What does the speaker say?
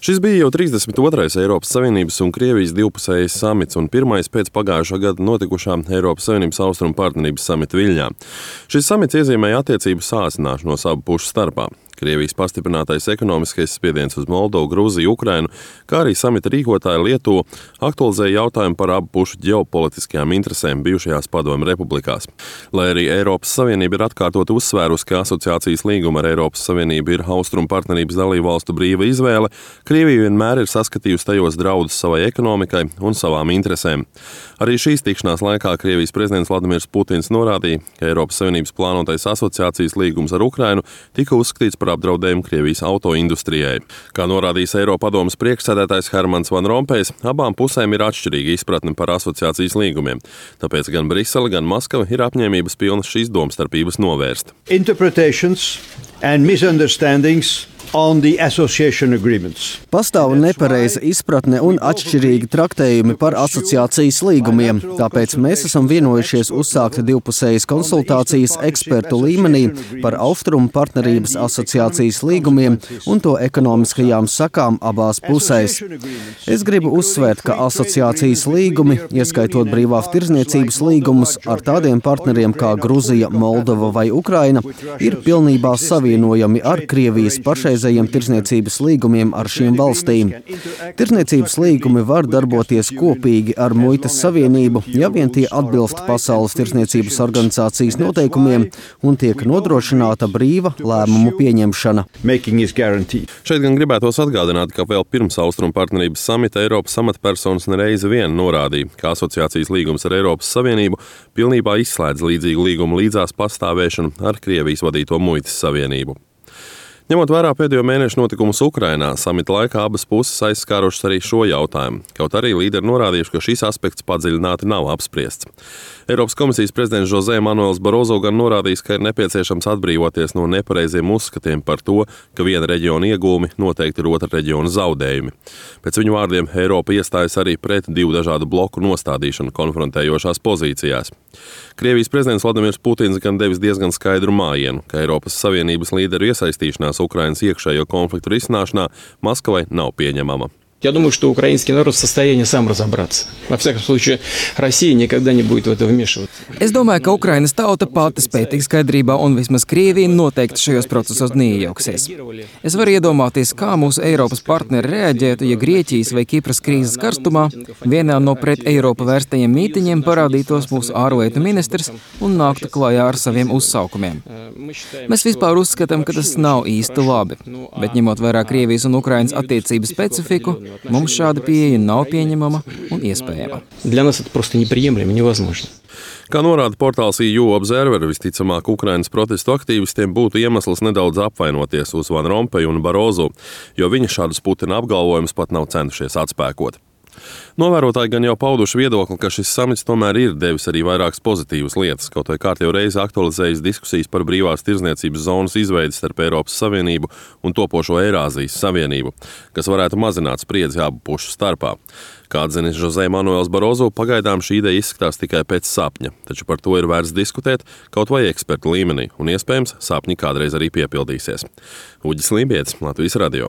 Šis bija jau 32. Eiropas Savienības un Krievijas divpusējais samits un pirmais pēc pagājušā gada notikušā Eiropas Savienības austrumu partnerības samita Viļņā. Šis samits iezīmēja attiecību sāsināšanos abu pušu starpā. Krievijas pastiprinātais ekonomiskais spiediens uz Moldovu, Grūziju, Ukrainu, kā arī samita rīkotāja Lietuva aktualizēja jautājumu par abu pušu ģeopolitiskajām interesēm bijušajās Padomju republikās. Lai arī Eiropas Savienība ir atkārtot uzsvērusi, ka asociācijas līguma ar Eiropas Savienību ir austrumu partnerības dalībvalstu brīva izvēle, Krievija vienmēr ir saskatījusi tajos draudus savai ekonomikai un savām interesēm. Arī šīs tikšanās laikā Krievijas prezidents Vladimirs Putins norādīja, ka Eiropas Savienības plānotais asociācijas līgums ar Ukrainu tika uzskatīts par apdraudējumu Krievijas autoindustrijai. Kā norādījis Eiropadomes priekšsēdētājs Hermans Van Rompējs, abām pusēm ir atšķirīga izpratne par asociācijas līgumiem. Tāpēc gan Brisele, gan Maskava ir apņēmības pilnas šīs domstarpības novērst. Interpretations and misunderstandings on the association agreements. Pastāv nepareiza izpratne un atšķirīgi traktējumi par asociācijas līgumiem, tāpēc mēs esam vienojušies uzsākt divpusējas konsultācijas ekspertu līmenī par austrumu partnerības asociācijas līgumiem un to ekonomiskajām sakām abās pusēs. Es gribu uzsvērt, ka asociācijas līgumi, ieskaitot brīvās tirdzniecības līgumus ar tādiem partneriem kā Gruzija, Moldova vai Ukraina, ir pilnībā savienojami ar Krievijas pašreizējiem tirdzniecības līgumiem ar šīm valstīm. Tirdzniecības līgumi var darboties kopīgi ar Muitas Savienību, ja vien tie atbilst Pasaules tirdzniecības organizācijas noteikumiem un tiek nodrošināta brīva lēmumu pieņemšana. Šeit gan gribētos atgādināt, ka vēl pirms austrumu partnerības samita Eiropas amatpersonas nereizi vien norādīja, ka asociācijas līgums ar Eiropas Savienību pilnībā izslēdz līdzīgu līgumu līdzās pastāvēšanu ar Krievijas vadīto Muitas Savienību. Ņemot vērā pēdējo mēnešu notikumus Ukrainā, samita laikā abas puses aizskārušas arī šo jautājumu, kaut arī līderi norādījuši, ka šis aspekts padziļināti nav apspriests. Eiropas komisijas prezidents José Manuels Barozo gan norādījis, ka ir nepieciešams atbrīvoties no nepareiziem uzskatiem par to, ka viena reģiona iegūmi noteikti ir otra reģiona zaudējumi. Pēc viņu vārdiem Eiropa iestājas arī pret divu dažādu bloku nostādīšanu konfrontējošās pozīcijās. Krievijas prezidents Vladimirs Putins gan devis diezgan skaidru mājienu, ka Eiropas Savienības līderu iesaistīšanās Ukrainas iekšējo konfliktu risināšanā Maskavai nav pieņemama. Я думаю, что украинский народ в состоянии сам разобраться. Во всяком случае, Россия никогда не будет в это вмешиваться. Es domāju, ka Ukrainas tauta pati spēj tikt skaidrībā un vismaz Krievija noteikti šajos procesos neiejauksies. Es varu iedomāties, kā mūsu Eiropas partneri reaģētu, ja Grieķijas vai Kipras krīzes karstumā vienā no pret Eiropu vērstajiem mītiņiem parādītos mūsu ārlietu ministrs un nāktu klājā ar saviem uzsaukumiem. Mēs vispār uzskatām, ka tas nav īsti labi, bet ņemot vērā Krievijas un Ukrainas attiecību specifiku, mums šāda pieeja nav pieņemama un iespējama. Для нас это просто неприемлемо, невозможно. Kā norāda portāls EU Observer, visticamāk Ukrainas protestu aktīvistiem būtu iemesls nedaudz apvainoties uz Van Rompeju un Barozu, jo viņi šādus Putina apgalvojumus pat nav centušies atspēkot. Novērotāji gan jau pauduši viedokli, ka šis samits tomēr ir devis arī vairākas pozitīvas lietas, kaut vai kārtējo reizi aktualizējis diskusijas par brīvās tirdzniecības zonas izveidi starp Eiropas Savienību un topošo Eirāzijas Savienību, kas varētu mazināt spriedzi abu pušu starpā. Kā atzinis José Manuels Barozo, pagaidām šī ideja izskatās tikai pēc sapņa, taču par to ir vērts diskutēt kaut vai ekspertu līmenī, un iespējams sapņi kādreiz arī piepildīsies. Uģis Lībietis, Latvijas radio.